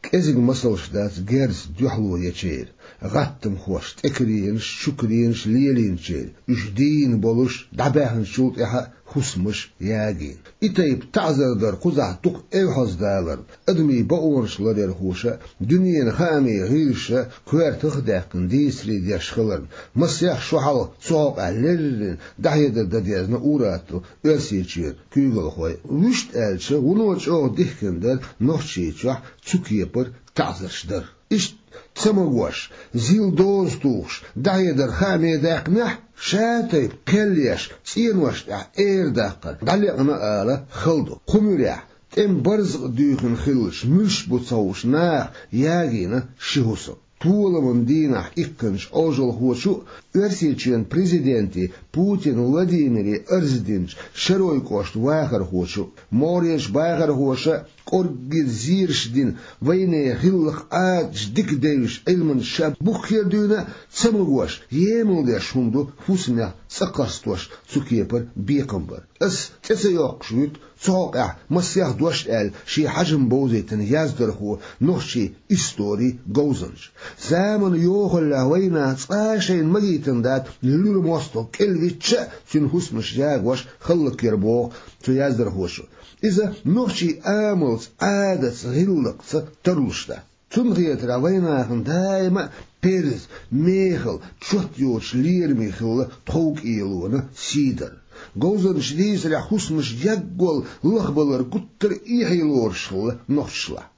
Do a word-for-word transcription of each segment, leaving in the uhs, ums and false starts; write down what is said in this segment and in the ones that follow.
КӀезига масалш дац герзаца дуьхьало ечеран, гӀаттамхошца тӀекаренаш, чукаренаш лелийначеран, уьш дийна болуш дӀабаьхначул тӀаьхьа хӀусамаш ягийна. И тайпа таӀзар дар кхузахь дукха эвхьаздаларна, адамийн бакъонаш ларъярхоша, дуьненан хаамийн гӀирсаша коьртах а даьккхина дийцаре деш хиларна, масех шо хьалха цу хьокъехь леррина дӀахьедар дан дезна ур-аттал Оьрсийчоьнан куьйгалхой. Вуьшта аьлча, вуно чӀогӀа дихкина дара Нохчийчохь цу кепара таӀзарш дар. Иштта цамогаш, зил доза тухуш, дӀахьедар хааме даьккхинехь, шатайпа кхел еш, цӀенош тӀехь эр даккхар дӀалекъна ала хала ду. Кху муьрехь, тӀеман барзакъ дуьйхина хиллачу муьлш бу ца хууш наха ягийна ши хӀусам. Толаман дийнахь иккханчу Ӏожалхочу а, Оьрсийчоьнан президенте Путин Владимире арз динчу Шаройн кӀоштан вахархочо а, могӀарерчу бахархоша а кӀорггера зераш дина вайнехан гӀиллакх-Ӏадаташ дика девзаш Ӏилманчаша буххера дуьйна а, цамогаш емал деш хӀума ду хӀусамех цӀа кхарстош цу кепара бекхам бар. Ас цӀе ца йоккхуш вуьту цу хьокъехь масех дош аьлла шен хьажам бовзийтина яздархо, нохчийн историн говзанча. Заманан йохаллехь вайнах цкъа а шайна магийтина дац, луьра мостагӀ кӀелвичча а цуьнан хӀусамаш ягош хӀаллакьяр, боху цу яздархочо. Иза нохчийн амалца, Ӏадатца, гӀиллакхца тарлуш дац. Цунна хетарехь, вайнахана даима а перз, мехала, чот йоцуш лераме хилла тхов-кӀелонан сий дар. Говзанчаша дийцарехь, хӀусамаш яггал лахбалар гуттар а эхье лоруш хилла нохчашлахь.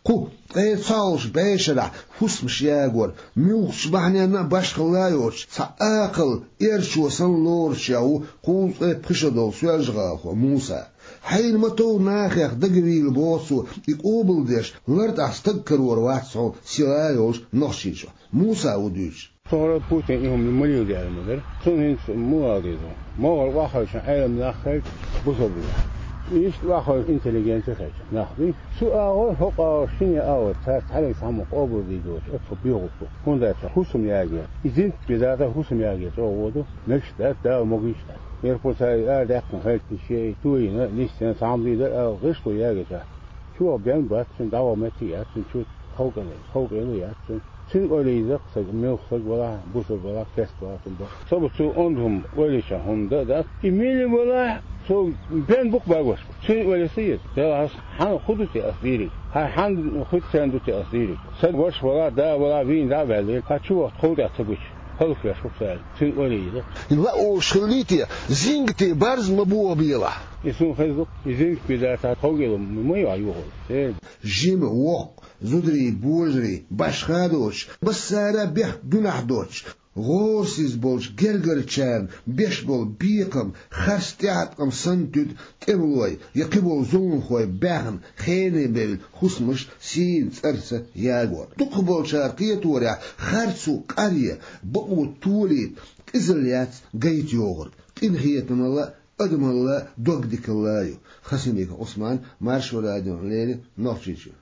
Кху ткъе цхьалгӀачу бӀешарахь хӀусамаш ягор муьлххачу бахьаненна а башхалла а йоцуш, цхьа акхалла эрчо санна лоруш ву кхузткъе пхи шо долу соьлжа-гӀалахо Муса. Хьайна ма-тов нахех дагавийла, боху цо, и къобалдеш лартӀехь стаг карор вац хьуна села йолчу Нохчийчохь. Муса ву дуьйцуш. Цо хӀара Путин и хӀума ма леладе аьлла ма дара. Цунна хӀинца муха ала деза? МогӀар охьахевшина Ӏелам нах хилча, бусалба нах. Иштта охьахевшина интеллигенция хилча, нах бий. Цу агӀор, хӀокху агӀор, шинне агӀор цара цхьаьнниг цхьаммо къобалдийр доцуш, оццул боьха бу. ХӀунда аьлча хӀусам ягор, и зинтик бен дацахь, хӀусам ягор чӀогӀа вон ду, мегаш дац, Дала могуш дац. Мера пурцара арадаьккхина хилча, шен тойина, нисдина, цхьаммо дийр дара ала, гӀишло ягор дац. Чу ваха бен бац, цуьнан дӀаваха меттиг яц, цуьнан чу хӀаллакьхилла, хӀаллакьхилла яц цуьнан. Цуьнан ойла йийза-кх, стаг муьлхха стаг валахь а, бусалба валахь а, керста валахь а, цуьнан боху. Со бу цу ондахана ойла йича хӀума дан а дац. И мила валахь а, со бен бу-кх багош. Цуьнан ойла йита еза. Делахь ас хьан хӀун ду те ас дийриг? Хьан хӀун хир царна ду те ас дийриг? Сан ваша валахь а, да валахь а вийна дӀа а ваьллера, хьан чу вахта хӀаллакьхилла ца буьтуш, хӀаллакьхилла ву-кх сан. Цуьнан ойла йийза-кх. Ла олуш хиллий те, зингате барз ма бохабелахь. И суна хеза-кх, и зингате бен дацахь, тховгӀа ма ю хьан юхалла. Жима, воккха, зударий, божарий, башха а доцуш, массара а бехк, гуьнахь доцуш, гӀорасиз болчу гергарчарна беш болу бекхам харц тӀеӀаткъам санна туьду тӀемалой я кхиболу зуламхой баьхна, хене бевлла хӀусамаш сийна цӀарца ягор. Дукхахболчара кхеторехь, харцо къаръян, бакъо толийта къизалла яц гайта йогӀург. Къинхетамалла а, адамалла а, догдикалла а ю. Хасимиков Ӏусман, Маршо радиона леррина, Нохчийчоь.